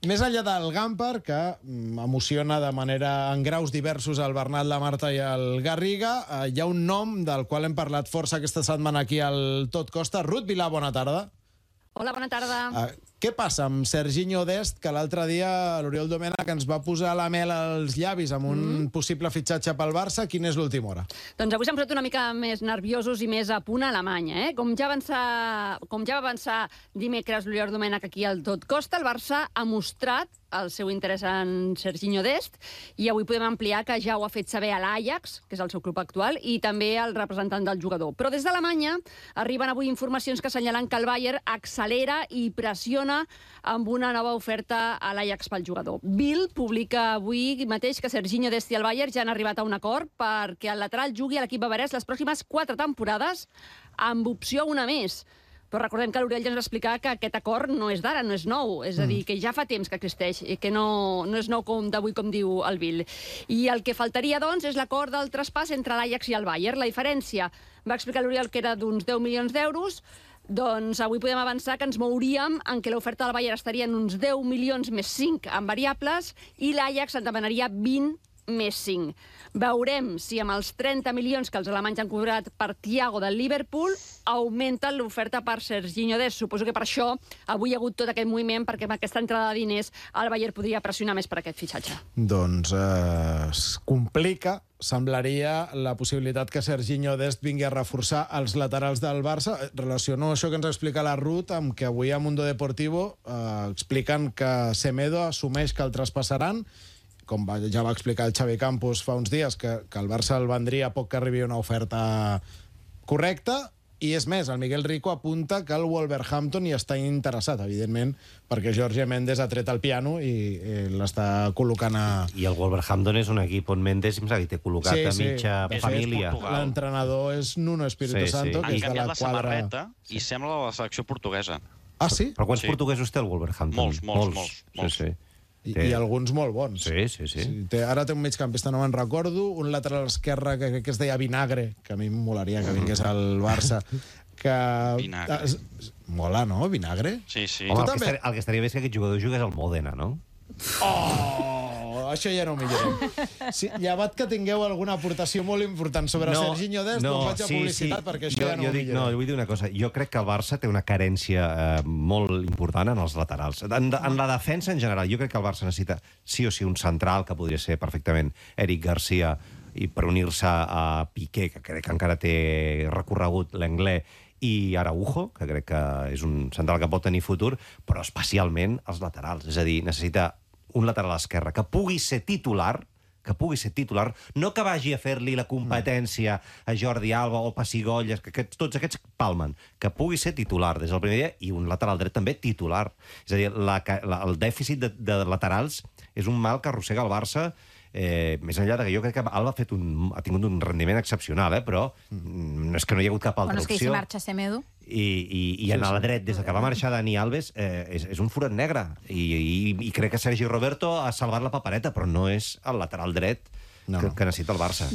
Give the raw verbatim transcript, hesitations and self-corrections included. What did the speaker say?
més enllà del Gampar, que emociona de manera en graus diversos el Bernat, la Marta i el Garriga, eh, hi ha un nom del qual hem parlat força aquesta setmana aquí al Tot Costa. Ruth Vilà, bona tarda. Hola, bona tarda. Uh, què passa amb Serginho Dest, que l'altre dia l'Oriol Domènech ens va posar la mel als llavis amb un mm. possible fitxatge pel Barça? Quina és l'última hora? Doncs avui s'han posat una mica més nerviosos i més a punt a Alemanya. Eh? Com, ja avançar, com ja va avançar dimecres l'Oriol Domènech aquí al Tot Costa, el Barça ha mostrat el seu interès en Serginho Dest i avui podem ampliar que ja ho ha fet saber a l'Ajax, que és el seu club actual, i també al representant del jugador. Però des d'Alemanya arriben avui informacions que assenyalen que el Bayern accelera i pressiona amb una nova oferta a l'Ajax pel jugador. Bild publica avui mateix que Serginho Dest i el Bayern ja han arribat a un acord perquè el lateral jugui a l'equip bavarès les pròximes quatre temporades amb opció a una més. Però recordem que l'Oriol ja ens va explicar que aquest acord no és d'ara, no és nou. És a dir, que ja fa temps que existeix i que no, no és nou com d'avui, com diu el Bild. I el que faltaria, doncs, és l'acord del traspàs entre l'Ajax i el Bayern. La diferència, va explicar l'Oriol, que era d'uns deu milions d'euros. Doncs avui podem avançar que ens mouríem en què l'oferta del Bayern estaria en uns deu milions més cinc en variables i l'Ajax en demanaria vint més cinc. Veurem si amb els trenta milions que els alemanys han cobrat per Thiago del Liverpool augmenten l'oferta per Serginho Dest. Suposo que per això avui hi ha hagut tot aquest moviment, perquè amb aquesta entrada de diners el Bayern podria pressionar més per aquest fitxatge. Doncs eh, es complica, semblaria, la possibilitat que Serginho Dest vingui a reforçar els laterals del Barça. Relaciono això que ens explica la Ruth amb que avui a Mundo Deportivo eh, expliquen que Semedo assumeix que el traspassaran, com va, ja va explicar el Xavi Campos fa uns dies, que, que el Barça el vendria a poc que arribi una oferta correcta, i és més, el Miguel Rico apunta que el Wolverhampton hi està interessat, evidentment, perquè Jorge Méndez ha tret el piano i, i l'està col·locant a... I el Wolverhampton és un equip on Méndez em sap que té col·locat sí, a mitja sí. família. L'entrenador és Nuno Espíritu sí, Santo, sí. que és de la la quadra... samarreta i sembla la selecció portuguesa. Ah, sí? Però quants sí. portuguesos té el Wolverhampton? Molts, molts, molts. molts. Sí, sí. I, i alguns molt bons. Sí, sí, sí. sí té, ara té un migcampista, no me'n recordo, un lateral esquerre que, que, que es deia Vinagre, que a mi em molaria que vingués al Barça. Que... Vinagre. Es, mola, no? Vinagre? Sí, sí. Home, el, també... que estaria, el que estaria bé és que aquest jugador jugués al Modena, no? Oh! Això ja no ho millorem. Sí, llevat que tingueu alguna aportació molt important sobre no, Serginho Dest, no, doncs faig a sí, publicitat, sí. perquè això jo, ja no jo ho dic, millorem. No, vull dir una cosa. Jo crec que el Barça té una carència eh, molt important en els laterals. En, en la defensa, en general, jo crec que el Barça necessita sí o sí un central, que podria ser perfectament Eric Garcia, i per unir-se a Piqué, que crec que encara té recorregut l'Anglès, i Araujo, que crec que és un central que pot tenir futur, però especialment els laterals. És a dir, necessita un lateral esquerre que pugui ser titular, que pugui ser titular, no que vagi a fer-li la competència a Jordi Alba o Pessigolles, que aquests, tots aquests palmen, que pugui ser titular des del primer dia, i un lateral dret també titular. És a dir, la, la, el dèficit de, de laterals és un mal que arrossega el Barça, eh, més enllà de que jo crec que Alba ha, fet un, ha tingut un rendiment excepcional, eh, però mm. és que no hi ha hagut cap altra bueno, opció. És que si marxa Semedo... I, i, i en el dret, des que va marxar Dani Alves, eh, és, és un forat negre. I, i, I crec que Sergi Roberto ha salvat la papereta, però no és el lateral dret no, que, que necessita el Barça.